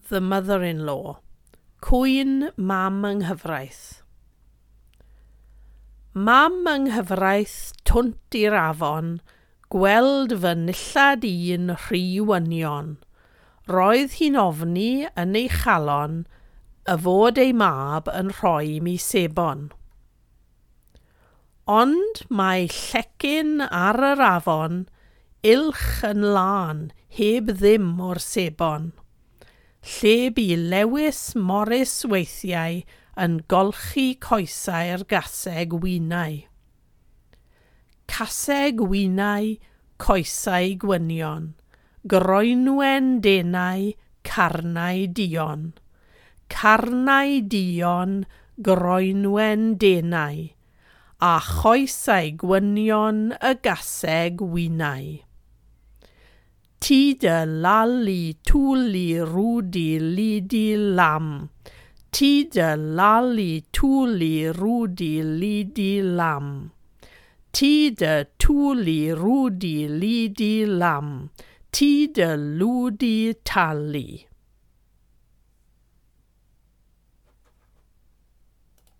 The Mother-in-Law. Cwyn mam yng nghyfraith. Mam yng nghyfraith twnt i'r afon, gweld fy nillad i'n rhy wynion. Roedd hi'n ofni yn ei chalon y fod ei mab yn rhoi mi sebon. Ond mae llecyn ar yr afon, ilch yn lân, heb ddim o'r sebon. Lle bu Lewis Morris weithiau yn golchi coesau'r gaseg winau. Caseg winau, coesau gwynion, groenwen denau, carnau duon. Carnau duon, groenwen denau, a choesau gwynion y gaseg winau. Ti dy lali tŵli rwdi lidi lam. Ti dy lali tŵli rwdi lidi lam. Ti dy tŵli rwdi lidi lam. Ti dy lwdi tali.